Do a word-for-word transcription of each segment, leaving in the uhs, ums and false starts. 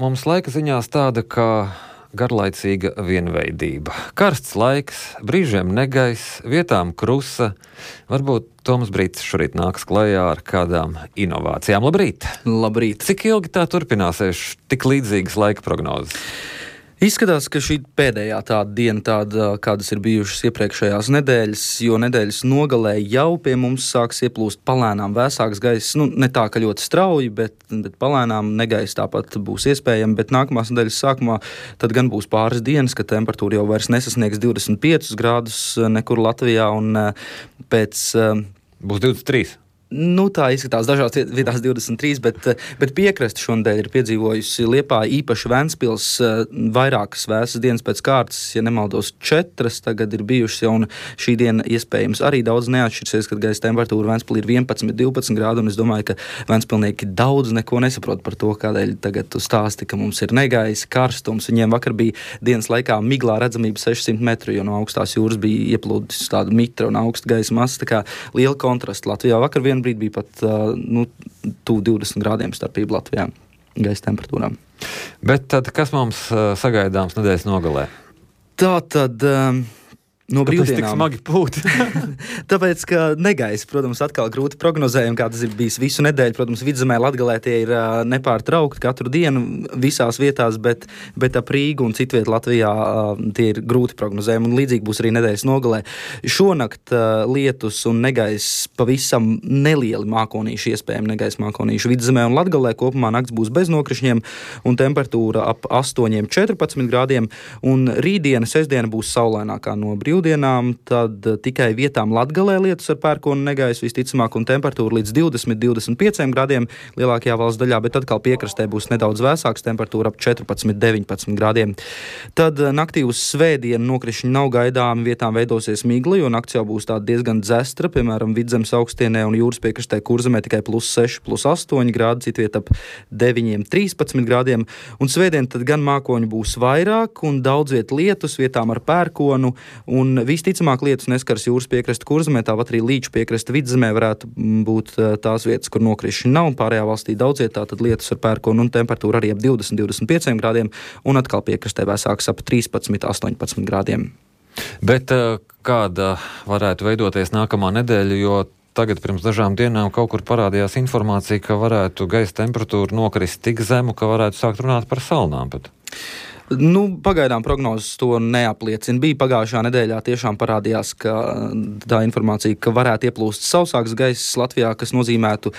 mums laika ziņās tāda kā garlaicīga vienveidība. Karsts laiks, brīžiem negaiss, vietām krusa. Varbūt Toms Brītis šorīt nāks klajā ar kādām inovācijām. Labrīt! Labrīt! Cik ilgi tā turpināsies tik līdzīgas laika prognozes? Izskatās, ka šī pēdējā tāda diena, tāda, kādas ir bijušas iepriekšējās nedēļas, jo nedēļas nogalē jau pie mums sāks ieplūst palēnām vēsāks gaiss. Nu, ne tā, ka ļoti strauji, bet, bet palēnām negaiss tāpat būs iespējami, bet nākamās nedēļas sākumā tad gan būs pāris dienas, ka temperatūra jau vairs nesasniegs divdesmit piecus grādus nekur Latvijā un pēc... Būs divdesmit trīs. Nu, tā izskatās dažās vietās divdesmit trīs, bet, bet piekrasti šonadēļ ir piedzīvojusi Liepāja, īpaši Ventspils, vairākas vēsas dienas pēc kārtas, ja nemaldos četras tagad ir bijušas, un šī diena iespējams arī daudz neatšķirsies, kad gaisa temperatūra Ventspilī ir vienpadsmit divpadsmit grādi, un es domāju, ka ventspilnieki daudz neko nesaprot par to, kādēļ tagad tu stāsti, ka mums ir negaisa, karstums. Viņiem vakar bija dienas laikā miglā redzamība sešsimt metru, jo no augstās jūras bija ieplūdis tāda mitra un augsta gaisa masa, tā kā liela kontrasta. Latvijā vakar vien brīd bija pat nu, tuvu divdesmit grādiem starpība Latvijā gaisa temperatūrām. Bet tad kas mums sagaidāms nedēļas nogalē? Tā tad... Um, No brīvdienām. Tik smagi pūt? Tāpēc, ka negaisa, protams, atkal grūti prognozējumi, kā tas ir bijis visu nedēļu. Protams, Vidzemē, Latgalē tie ir uh, nepārtraukti katru dienu visās vietās, bet, bet ap Rīgu un citviet Latvijā uh, tie ir grūti prognozējumi. Un līdzīgi būs arī nedēļas nogalē. Šonakt uh, lietus un negaiss pavisam nelieli mākonīši, iespējami negaisa mākonīši. Vidzemē un Latgalē kopumā nakts būs bez nokrišņiem un temperatūra ap astoņiem četrpadsmit grādiem. Un rītdiena, sestdiena būs saulainākā no brīvdienām. Dienām, tad tikai vietām Latgalē lietus ar pērkonu negaisu visticamāk un temperatūra līdz divdesmit līdz divdesmit pieciem grādiem lielākajā valsts daļā, bet atkal piekrastē būs nedaudz vēsāks, temperatūra ap četrpadsmit līdz deviņpadsmit grādiem. Tad naktī uz svētdienu nokrišņi nav gaidāmi, vietām veidosies migla, jo nakts jau būs tāda diezgan dzestra, piemēram, Vidzemes augstienē un jūras piekrastē Kurzemē tikai plus seši, plus astoņi grādi, citviet ap deviņi līdz trīspadsmit grādiem, un svētdien tad gan mākoņu būs vairāk un daudz viet lietus, vietām ar pērkonu, un visticamāk lietus neskars jūras piekrasta Kurzemē, tāpat arī Līču piekrasta Vidzemē varētu būt tās vietas, kur nokrišņi nav. Pārējā valstī daudz vietā tad lietus ar pērkonu un temperatūra arī ap divdesmit līdz divdesmit pieciem grādiem un atkal piekrastē vēsāks ap trīspadsmit līdz astoņpadsmit grādiem. Bet kāda varētu veidoties nākamā nedēļa, jo tagad pirms dažām dienām kaut kur parādījās informācija, ka varētu gaisa temperatūra nokrist tik zemu, ka varētu sākt runāt par salnām pat. Nu, pagaidām prognozes to neapliecina. Bija pagājušā nedēļā tiešām parādījās, ka tā informācija, ka varētu ieplūst sausāks gaiss Latvijā, kas nozīmētu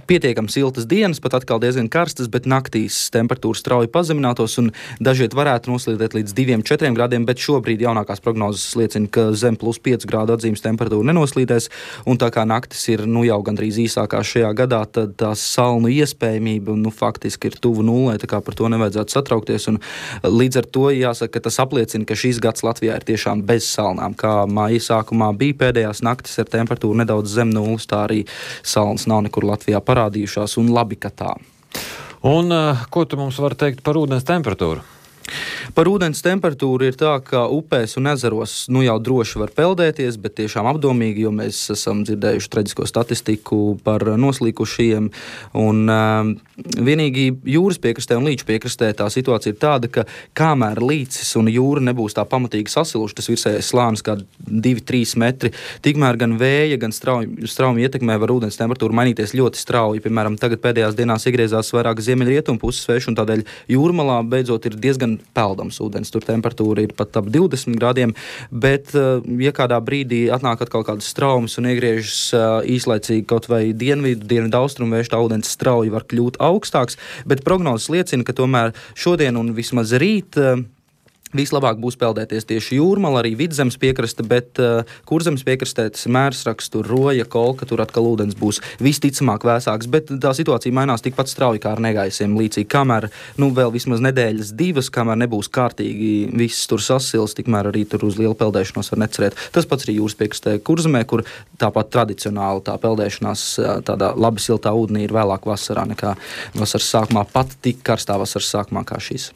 pietiekami siltas dienas, pat atkal diezgan karstas, bet naktīs temperatūra strauji pazeminātos un dažiet varētu noslīdēt līdz diviem līdz četriem grādiem, bet šobrīd jaunākās prognozes liecina, ka zem plus pieci grādu atzīmes temperatūra nenoslīdēs, un tā kā naktis ir nu jau gandrīz īsākās šajā gadā, tad tās salnu iespējamība nu, faktiski ir tuvu nulē, tā kā par to nevajadzētu satraukties, un līdz ar to jāsaka, ka tas apliecina, ka šīs gads Latvijā ir tiešām bez salnām. Kā māja sākumā bija pēdējās naktis ar temperatūru nedaudz zem nulles, tā arī salnas nav nekur Latvijā parādījušās, un labi, ka tā. Un uh, ko tu mums vari teikt par ūdens temperatūru? Par ūdens temperatūru ir tā, ka upēs un ezeros nu jau droši var peldēties, bet tiešām apdomīgi, jo mēs esam dzirdējuši traģisko statistiku par noslīkušajiem. Un uh, vienīgi jūras piekrastē un Līču piekrastē tā situācija ir tāda, ka kamēr līcis un jūra nebūs tā pamatīgi sasiluši, tas virsējais slānis kā divi līdz trīs metri, tikmēr gan vēja, gan strauji, strauji ietekmē var ūdens temperatūru mainīties ļoti strauji. Piemēram, tagad pēdējās dienās iegriezās vairāk ziemeļrietumu puses vējš, un tādēļ jūrmalā beidzot ir diezgan peldams ūdens. Tur temperatūra ir pat ap divdesmit grādiem, bet, ja kādā brīdī atnāk atkal kādas straumes un iegriežas īslaicīgi kaut vai dienvidu, dienvidu austrumu vējš, tā ūdens strauji var kļūt augstāks, bet prognozes liecina, ka tomēr šodien un vismaz rīt vislabāk būs peldēties tieši jūrmala, arī Vidzemes piekraste, bet uh, Kurzemes piekrastē tas mērsraks, tur Roja, Kolka, tur atkal ūdens būs visticamāk vēsāks, bet tā situācija mainās tikpat strauji kā ar negaisiem līdzīgi, kamēr, nu, vēl vismaz nedēļas divas, kamēr nebūs kārtīgi viss tur sasils, tikmēr arī tur uz lielu peldēšanos var necerēt. Tas pats arī jūras piekrastē Kurzemē, kur tāpat tradicionāli tā peldēšanās tādā labi siltā ūdenī ir vēlāk vasarā nekā vasaras sākumā, pat tik karstā vasaras sākumā kā šīs.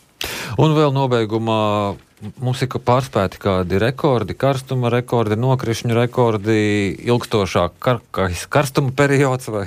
Un vēl nobeigumā mums ir pārspēti kādi rekordi, karstuma rekordi, nokrišņu rekordi, ilgstošāk kar, karstuma periods vai?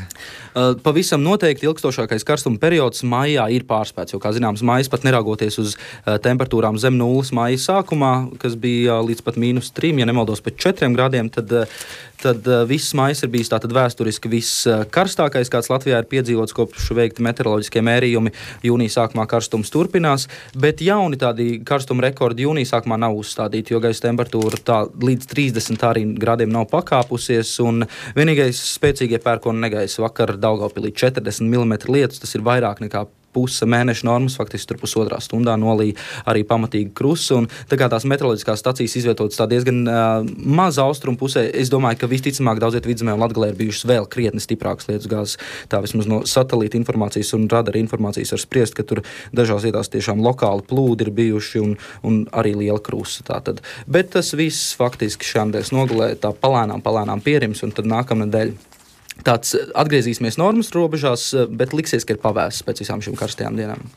Uh, pavisam noteikti ilgstošākais karstuma periods maijā ir pārspēts, jo, kā zināms, maijs pat neraugoties uz uh, temperatūrām zem nulles maija sākumā, kas bija uh, līdz pat mīnus trim, ja nemaldos, pat četriem grādiem, tad, uh, tad uh, viss maijs ir bijis tātad vēsturiski viskarstākais, kāds Latvijā ir piedzīvots kopš veikti meteoroloģiskie mērījumi. Jūnija sākumā karstums turpinās, bet jauni tādi karstuma rekordi jūnija sākumā nav uzstādīti, jo gaisa temperatūra tā līdz trīsdesmit arī grādiem nav pakāpusies, un vienīgais spēcīgie pērkona negaisa vakar Daugavpilī četrdesmit milimetri lietus, tas ir vairāk nekā puse mēneša normas, faktiski tur pusotrā stundā nolīja arī pamatīgi krusu, un tā kā tās meteoroloģiskās stacijas izvietotas tā diezgan uh, maz austrumu pusē, es domāju, ka visticamāk daudziet Vidzemē un Latgalē ir bijušas vēl krietni stiprākas lietus gāzes. Tā vismaz no satelīta informācijas un radara informācijas var spriest, ka tur dažās vietās tiešām lokāli plūdi ir bijuši un, un arī liela krusa. Tātad. Bet tas viss faktiski šāmdēļ nogulē tā palēnām, palēnām pierims, un tad nākamnedēļ tāds atgriezīsimies normas robežās, bet liksies, ka ir pavēsts pēc visām šīm karstajām dienām.